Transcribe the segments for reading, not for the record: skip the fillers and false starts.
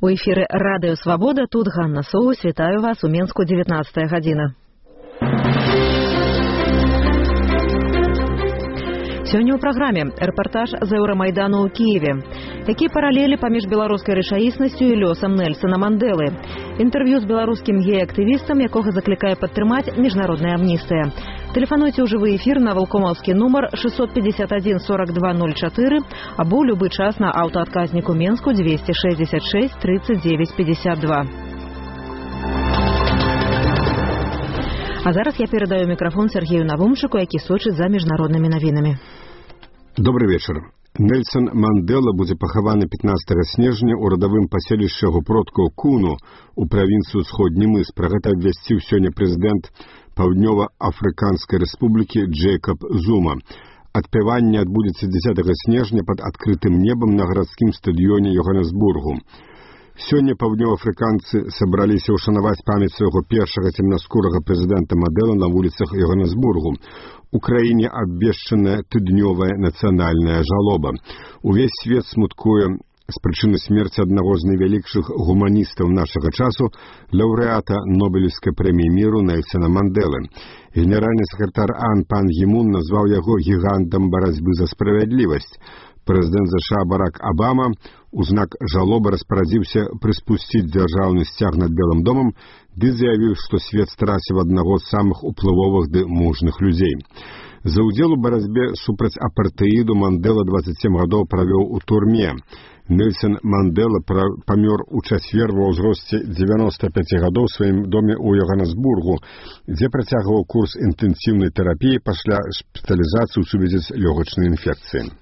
У эфіры Радыё Свабода, тут Ганна Соус, вітаю вас у Менску, 19 гадзіна. Сёння ў праграме рэпартаж з Еўрамайдану ў Кіеве. Якія паралелі паміж беларускай рэчаіснасцю і лёсам Нельсона Мандэлы. Інтэрв'ю з беларускім гей-актывістам, якога заклікае падтрымаць міжнародная амністыя. Тэлефануйце ў жывы эфір на валкомаўскі нумар 651 4204 або любы час на аўтаадказніку Менску 266 39 52. А зараз я перадаю мікрафон Сергею Навумчыку, які сочыць за міжнароднымі навінамі. Добрый вечер. Нельсон Мандэла будзе пахаваны 15 снежня ў радавым паселішча яго продкаў Куну у правінцыю Сходні мыс. Пра гэта абвясціў сёння прэзідэнт Паўднёва-Афрыканскай рэспублікі Джэйкаб Зума. Адпяванне адбудзецца 10 снежня пад адкрытым небам на гарадскім стадыёне Йоханнесбургу. Сёння паўднёваафрыканцы сабраліся ўшанаваць памяць свайго першага цемнаскурага прэзідэнта Мандэла на вуліцах Йоханнесбургу. У краіне абвешчаная тыднёвая нацыянальная жалоба. Увесь свет смуткуе з прычыны смерці аднаго з найвялікшых гуманістаў нашага часу, лаўрэата Нобелеўскай прэміі міру Нельсона Мандэлы. Генеральны сакратар АН Пан Гі Мун назваў яго гігантам барацьбы за справядлівасць. Прэзідэнт ЗША Барак Абама у знак жалобы распарадзіўся прыспусціць дзяржаўны сцяг над Белым домам, ды заявіў, што свет страціў аднаго з самых уплывовых ды мужных людзей. За ўдзел у барацьбе супраць апартэіду Мандэла 27 гадоў правёў у турме. Нельсон Мандэла памёр у чацвер ва ўзросце 95 гадоў у сваім доме ў Йоханнесбургу, дзе працягваў курс інтэнсіўнай тэрапіі пасля шпіталізацыі ў сувязі з лёгачнай інфекцыяй.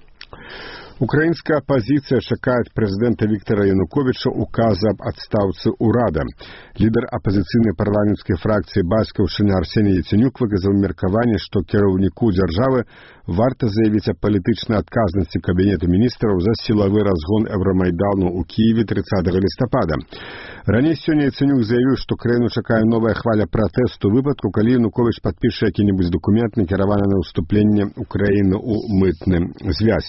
Украінская апазіцыя чакае ад прэзідэнта Віктара Януковіча указа аб адстаўцы ўрада. Лідар апазіцыйнай парламенцкай фракцыі бацькаўшчыны Арсеній Яценюк выказаў меркаванне, што кіраўніку дзяржавы варта заявіць аб палітычнай адказнасці Кабінету міністраў за сілавы разгон Еўрамайдану ў Кіеве 30 лістапада. Раней сёння Яценюк заявіў, што краіну чакае новая хваля пратэсту ў выпадку, калі Януковіч падпіша які-небудзь дакумент, накіраваны на ўступленне Украіны ў мытны звязь.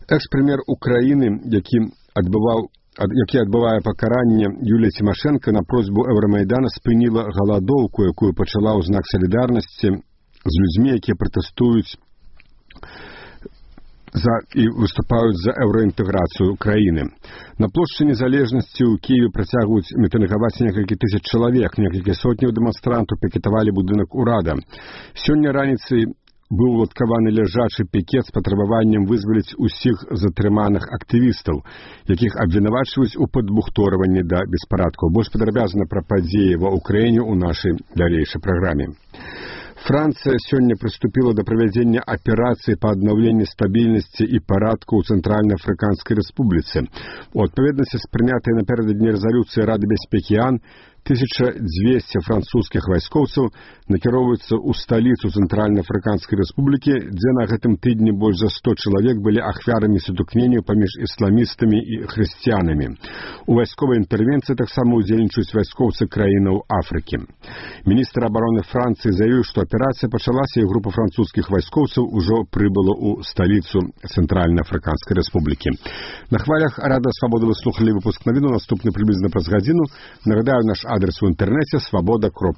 Экс-прэм'ер Украіны, які адбывае пакаранне, Юлія Цімашэнка на просьбу Еўрамайдана спыніла галадоўку, якую пачала ў знак салідарнасці з людзьмі, якія пратэстуюць і выступаюць за еўраінтэграцыю краіны. На плошчы Незалежнасці ў Кіеве працягваюць мітынгаваць некалькі тысяч чалавек, некалькі сотняў дэманстрантаў пікетавалі будынак урада. Сёння раніцай быў уладкаваны ляжачы пікет з патрабаваннем вызваліць усіх затрыманых актывістаў, якіх абвінавачваюць у падбухторванні да беспарадкаў. Больш падрабязна пра падзеі ва ўкраіне ў нашай далейшай праграме. Францыя сёння прыступіла да правядзення аперацыі па аднаўленні стабільнасці і парадку ў Цэнтральна-Афрыканскай рэспубліцы. У адпаведнасці з прынятай напярэдадні рэзалюцыі Рады бяспекі АН 1200 французскіх вайскоўцаў накіроўваюцца ў сталіцу Цэнтральна-Афрыканскай рэспублікі, дзе на гэтым тыдні больш за 100 чалавек былі ахвярамі сутыкненняў паміж ісламістамі і хрысціянамі. У вайсковай інтэрвенцыі таксама ўдзельнічаюць вайскоўцы краінаў Афрыкі. Міністр абароны Францыі заявіў, што аперацыя пачалася і група французскіх вайскоўцаў ужо прыбыла ў сталіцу Цэнтральна-Афрыканскай рэспублікі. На хвалях Рада Свабоды вы слухалі выпуск навіну, наступны прыблізна праз гадзіну. Нагадаю, наш адрес у інтэрнэце свабода.ру.